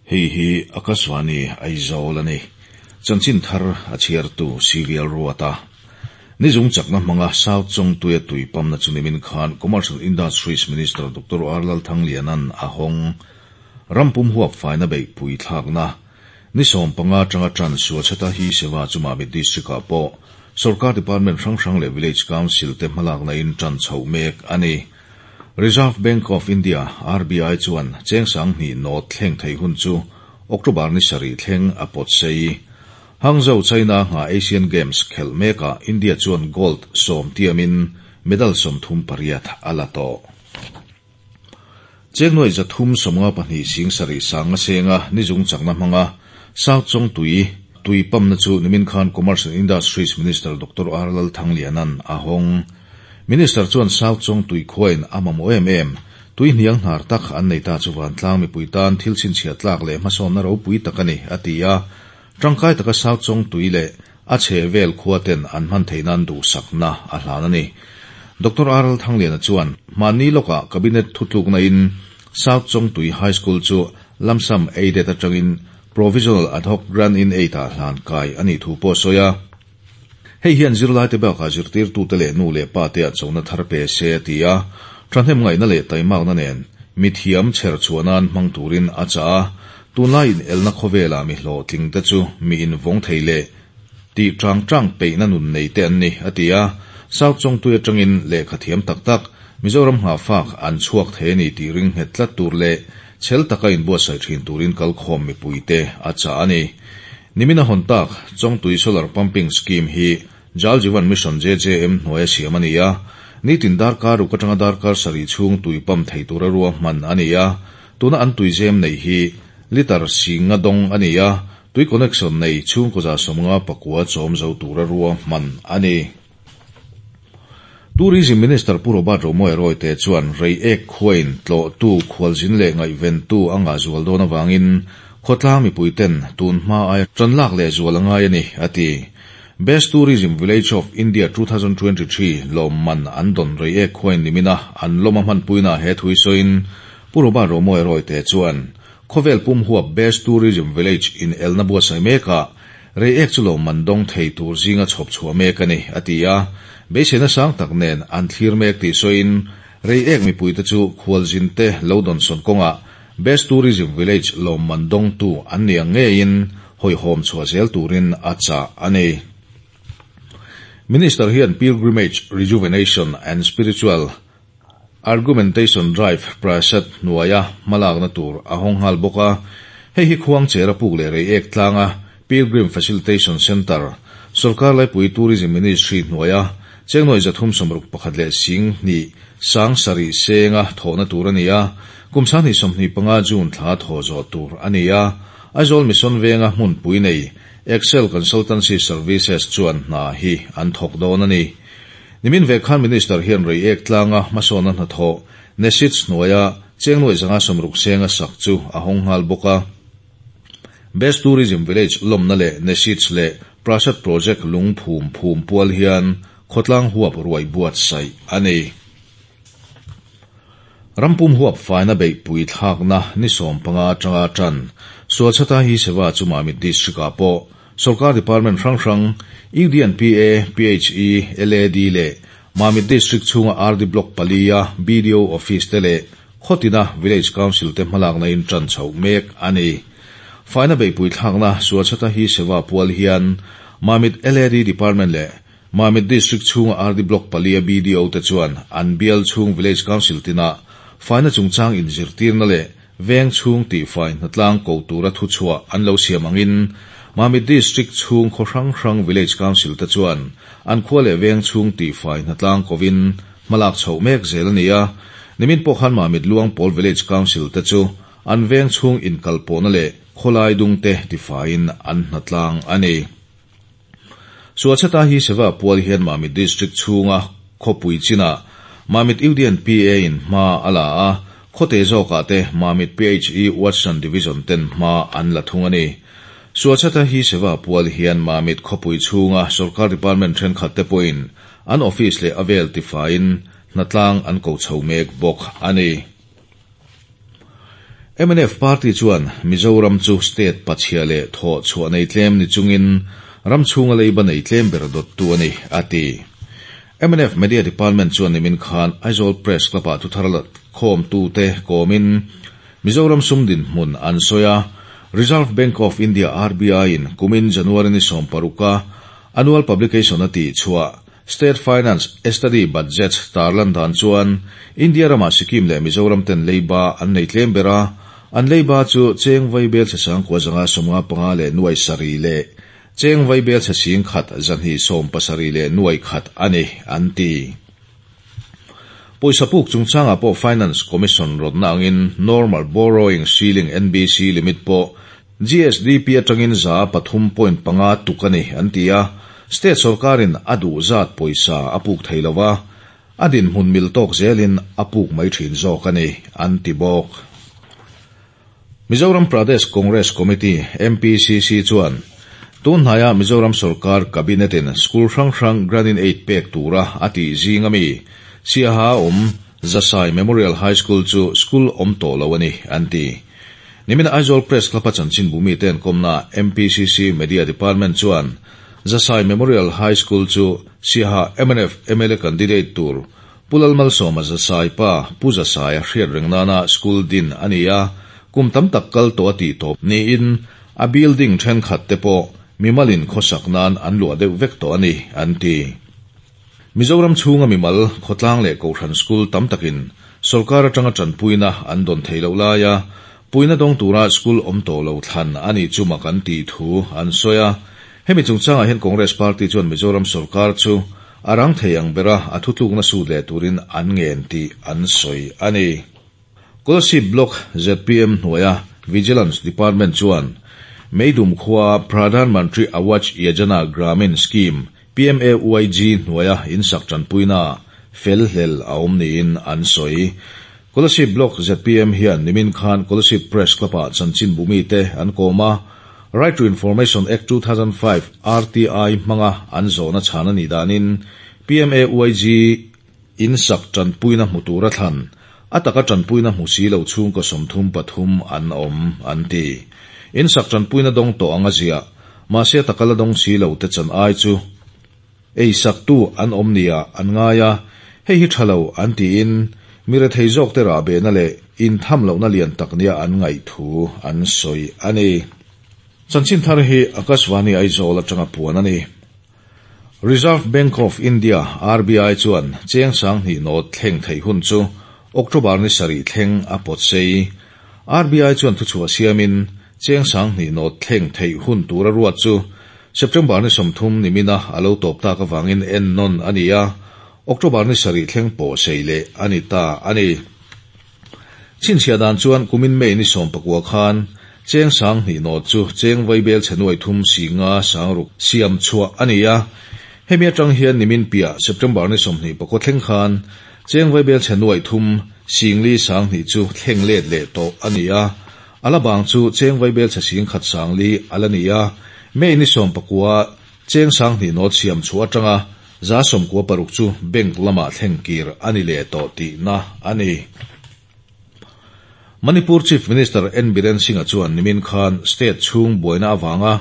Hei hi Akashvani Aizawl a ni. Chanchin thar a chhiartu CVL Ruata. Ni zung chakna hmanga South Chawngtuia tui pamna chu nimin khan Commercial Industries Minister Doctor R Lalthangliana'n a hawng. Ram pum huap faina beihpui thlakna ni 15 atanga tan Swachhata Hi Seva chu Mamit District-ah pawh Sorkar Department hrang hrang leh Village Council te hmalakna in tan chhoh mek a ni. Reserve Bank of India, RBI, chuan cheng 2000 note thleng thei hun chu October ni 7 thleng a pawt sei. Hangzhou, China nga Asian Games khelh mekah India chuan gold 10 tiamin medal 38 a la tawh. Cheng nuai 352 7 sanga senga ni zung chakna hmanga South Chawngtui tui pamna chu nimin khan Commercial Industries Minister Doctor R Lalthangliana'n a hawng. Minister chuan South Chawngtui khuain a mamawh em em tui hniang hnar tak an nei ta chu vantlang mipui tan thil chhinchhiah tlak leh hmasawnna ropui tak a ni a ti a. Tangkai taka South Chawngtui leh a chhe vel khuaten an hman theih nan duhsakna a hlan a ni. Doctor R Lalthangliana chuan mahni lawkah Cabinet thutlukna in South Chawngtui High School chu lump sum aided atangin provisional ad hoc grant in aid ah hlan kai a nih thu pawh a sawi a. Hei hian zirlai te bakah zirtirtute leh nu leh pa te ah chona thar pe se a ti a. Thahnem ngaihna leh taimakna nen mithiam chher chhuah nan hmang turin a chah a. Tunlai in elna khawvelah mi hlawhtling te chu mi invawng thei leh tih tang tang peihna nun nei te an ni a ti a. South Chawngtui atangin lehkha thiam tak tak Mizoram nghahfak an chhuak thei a ni tih ring nghet tlat tur leh chhel taka inbuatsaih thin turin kalkhawm mipuite a chah a ni. Nimina hawn tak Chawngtui Solar Pumping Scheme hi Jal Jeevan Mission JJM hnuaia siam a ni a. Nitin darkar ruk atanga darkar 7 chhung tui pump thei tura ruahman a ni a. Tuna an tui zem nei hi litre 50 dawng a ni a. Tui connection nei chhungkaw 59 chawm zo tura ruahman a ni. Tourism Minister Pu Robert Romawia Royte chuan Reiek khuain tlawhtu khualzin leh ngaihventu a ngah zual dawn awangin khawtlang mipuiten tun hma aia tan lak leh zual a ngai a ni a ti. Best Tourism Village of India 2023 lawmman an dawn Reiek khuain nimina an lawm a hmanpuina he thui sawiin Pu Robert Romawia Royte chuan khawvel pum huap Best Tourism Village in elna buatsaih mekah Reiek chu lawmman dawng thei tur zinga chhawp chhuah mek a ni a ti a. Beiseina sang tak nen an thlir mek tih sawiin Reiek mipuite chu khualzin te lo dawnsawn kawngah Best Tourism Village lawmman dawngtu an ni ang ngeiin hawihhawm chhuah zel turin a chah a ni. Minister hian Pilgrimage Rejuvenation and Spiritual Argumentation Drive Prasad hnuaia hmalakna tur a hawng nghal bawk a. Hei hi khuang chera puk leh Reiek tlanga Pilgrim Facilitation Centre, Sorkar Laipui Tourism Ministry hnuaia cheng nuai 361 leh 2000 7 senga thawhna tur a ni a. Kum 2025 June thla thaw zawh tur a ni a. Aizawl Mission Venga hmunpui nei Excel Consultancy Services chuan hna hi an thawk dawn a ni. Nimin ve khan Minister hian Reiek tlanga hmasawnna hnathawh NESIDS hnuaia cheng nuai 160 senga sak chu a hawng nghal bawk a. Best Tourism Village lawmna leh NESIDS leh Prasad Project lung phum phum pual hian khawtlang huap ruai buatsaih a ni. Rampum huap faina beihpui thlakna ni 15 atanga tan Swachhata Hi Seva chu Mamit District-ah pawh Sorkar Department hrang hrang UDNPA, PHE, LAD leh Mamit District chhunga RD Block palia BDO Office te leh khawtina Village Council te hmalakna in tan chhoh mek a ni. Faina beihpui thlakna Swachhata Hi Seva pual hian Mamit LAD Department leh Mamit District chhunga RD Block palia BDO te chuan an bial chhung Village Council tina faina chungchang inzirtirna leh veng chhung tih fai hnatlang ko tura thu chhuah an lo siam angin Mamit District chhung khaw hrang hrang Village Council te chuan an khua leh veng chhung tih fai hnatlang kovin hmalak chhoh mek zel a ni a. Nimin pawh khan Mamit Luangpawl Village Council te chu an veng chhung inkalpawhna leh khawlai dung te tifaiin an hnatlang a ni. Swachhata Hi Seva pual hian Mamit District chhunga khawpui china Mamit UDNPA in hma a la a, khawte zawkah te Mamit PHE Watson Division ten hma an la thung a ni. Swachhata Hi Seva pual hian Mamit khawpui chhunga Sorkar Department thenkhat te pawhin an office leh a vel tifaiin hnatlang an ko chho mek bawk a ni. Mnf party chuan Mizoram chu state pachhia leh thawh chhuah nei tlem ni chungin ram chhunga leiba nei tlem ber dawttu a ni, a ti. Mnf Media Department chuan nimin khan Aizawl Press Club-ah thuthar la khawmtute kawmin Mizoram sum dinhmun an sawi a, Reserve Bank of India, RBI, in kumin January ni sawmparuka annual publication a tihchhuah State Finance Study Budget tarlan dan chuan India ramah Sikkim leh Mizoram ten leiba an nei tlem ber a, an leiba chu cheng vaibel chhe sangkua zanga 55 leh nuai sarih leh cheng vaibel chhe 10,000 270 leh nuai khat a ni, an ti. Pawisa puk chungchangah pawh Finance Commission rawtna angin Normal Borrowing Ceiling, NBC, limit pawh GSDP atangin 3.5 tuk a ni, an ti a. State sorkarin a duh zat pawisa a puk thei lo va, a dinhmun mil tawk zelin a puk mai thin zawk a ni, an ti bawk. Mizoram Pradesh Congress Committee, MPCC, chuan tun hnaia Mizoram sorkar Cabinet-in school hrang hrang grant-in-aid pek tura a tih zing ami Siaha awm Zasai Memorial High School chu school awm tawh lo a ni, an ti. Nimin Aizawl Press Club-a chanchinbu mite an kawmna MPCC Media Department chuan Zasai Memorial High School chu Siaha mnf mla candidate tur Pu Lalmalsawma Zasai pa Pu Zasaia hriat reng nana school din a ni a, kum tam tak kal tawh a tih tawp niin a building thenkhat te pawh mimalin khawsak nan an luah deuh vek tawh a ni, an ti. Mizoram chhunga mimal, khawtlang leh kohhran school tam takin sorkar atanga tanpuina an dawn thei loh laia puina dawng tura school awm tawh lo thlan a nih chu mak an tih thu an sawi a. Hemi chungchangah hian Congress party chuan Mizoram sorkar chu A rang thei ang bera a thutlukna sut leh turin an ngen tih an sawi a ni. Kolasib Block zpm hnuaia Vigilance Department chuan Meidum khuaa Pradhan Mantri Awaj Yojana Gramin Scheme, PMAYG, hnuaia insak tanpuina fel hlel a awm niin an sawi. Kolasib Block zpm hian nimin khan Kolasib Press Club-ah chanchinbu mite an kawm a, Right to Information Act 2005, RTI, hmanga an zawhna chhan a nih danin PMAYG in sak tanpuina hmu tura thlan, a taka tanpuina hmu si lo chhungkaw 33 an awm, an ti. In sak tanpuina dawng tawh anga ziah, mahse a taka la dawng si lo te chan ai chu ei saktu an awm nia an ngai a, hei hi tha lo an tiin mi rethei zawk te rahbehna leh intham lohna lian tak nia an ngaih thu an sawi a ni. Chanchin thar hi Akashvani Aizawl atanga puan a ni. Reserve Bank of India, RBI, chuan cheng 2000 note thleng theih hun chu October ni sarih thleng a pawt sei. RBI chuan thuchhuah siamin cheng 2000 note thleng theih hun tura ruat chu September ni 30 nimina a lo tawp tak avangin en nawn a ni a, October ni sarih thleng pawh sei leh a ni ta a ni. Chhinchhiah dan chuan kumin May ni 19 khan cheng 2000 note chu cheng vaibel chhe nuai thum singa sangruk siam chhuah a ni a. Hemi atang hian nimin piah September ni 24 thleng khan cheng vaibel chhe nuai thum singli 2000 chu thleng let leh tawh a ni a. Ala bang chu cheng vaibel chhe 10,000 sangli ala ni a. May ni 19 cheng 2000 note siam chu atanga 96% chu bank lama thleng kir a ni leh tawh tihna a ni. Manipur Chief Minister N Biren Singh-a chuan nimin khan state chhung buaina avanga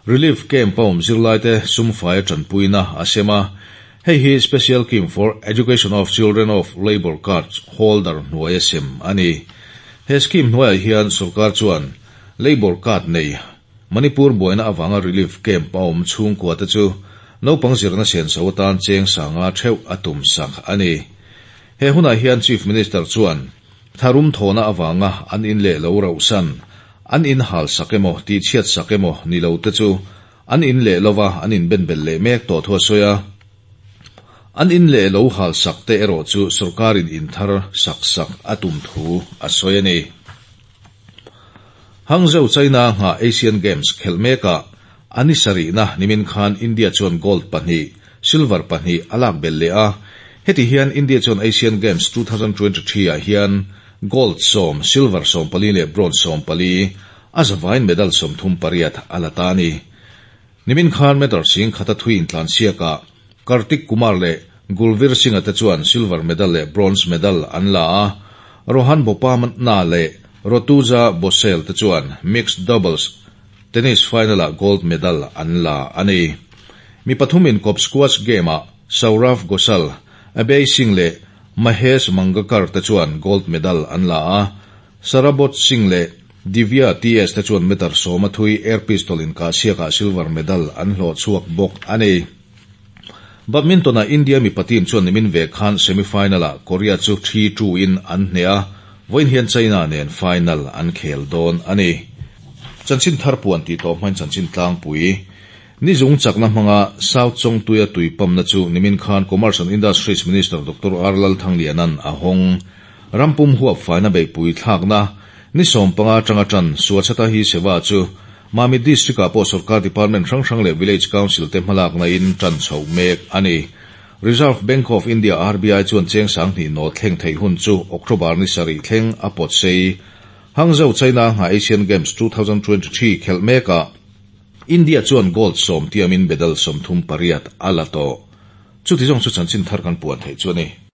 relief camp a awm zirlaite sumfai tanpuina a sem a. Hei hi Special Scheme for Education of Children of Labour Card holder hnuai a sem a ni. He scheme hnuaiah hian sorkar chuan Labour Card nei Manipur buaina avanga relief camp a awm chhungkua te chu naupang zirna senso atan cheng 5,000 theuh a tum sak a ni. He hunah hian Chief Minister chuan tharum thawhna avanga an in leh lo rauhsan, an in hal sak emaw tih chhiat sak emaw ni lo te chu an in leh lova an in ben bel leh mek tawh thu a sawi a. An in leh lo hal sak te erawh chu sorkarin in thar sak sak a tum thu a sawi a ni. Hangzhou China ngha Asian Games khelh mekah a ni sarihna nimin khan India chuan gold pahnih, silver pahnih a lak bel leh a. Heti hian India chuan Asian Games 2023 ah hian gold 10, silver 14 leh bronze 14, a zavain medal 38 a la ta a ni. Nimin khan meter 10,000 a thui intlansiakah Kartik Kumar leh Gulveer Singh-a te chuan silver medal leh bronze medal an la a. Rohan Bopanna leh Rutuja Bhosale te chuan mixed doubles tennis final-ah gold medal an la a ni. Mi pathum inkawp squash game-ah Saurav Ghosal, Abhay Singh leh Mahesh Mangakar te chuan gold medal an la a, Sarabot Singh leh Divya TS te chuan meter sawma thui air pistol inkahsiakah silver medal an hlawh chhuak bawk a ni. Badminton-ah India mipa team chuan nimin ve khan semi-final-ah Korea chu 3-2 in an hneh a, vawiin hian China nen final an khel dawn a ni. Chanchin thar puan tih tawh hmain chanchin tlangpui ni zung chakna hmanga South Chawngtuia tui pump-na chu nimin khan Commerce and Industries Minister Doctor R Lalthangliana'n a hawng. Rampum huap faina beihpui thlakna ni 15 atanga tan Swachhata Hi Seva chu Mamit District-ah pawh sorkar department hrang hrang leh Village Council te hmalakna in tan chhoh mek a ni. Reserve Bank of India, RBI, chuan cheng 2000 note thleng theih hun chu October ni 7 thleng a pawt sei. Hangzhou, China ngha Asian Games 2023 khelh mekah India chuan gold 10 tiamin medal 38 a la tawh. Chuti zawng chu chanchin thar kan puan theih chu a ni.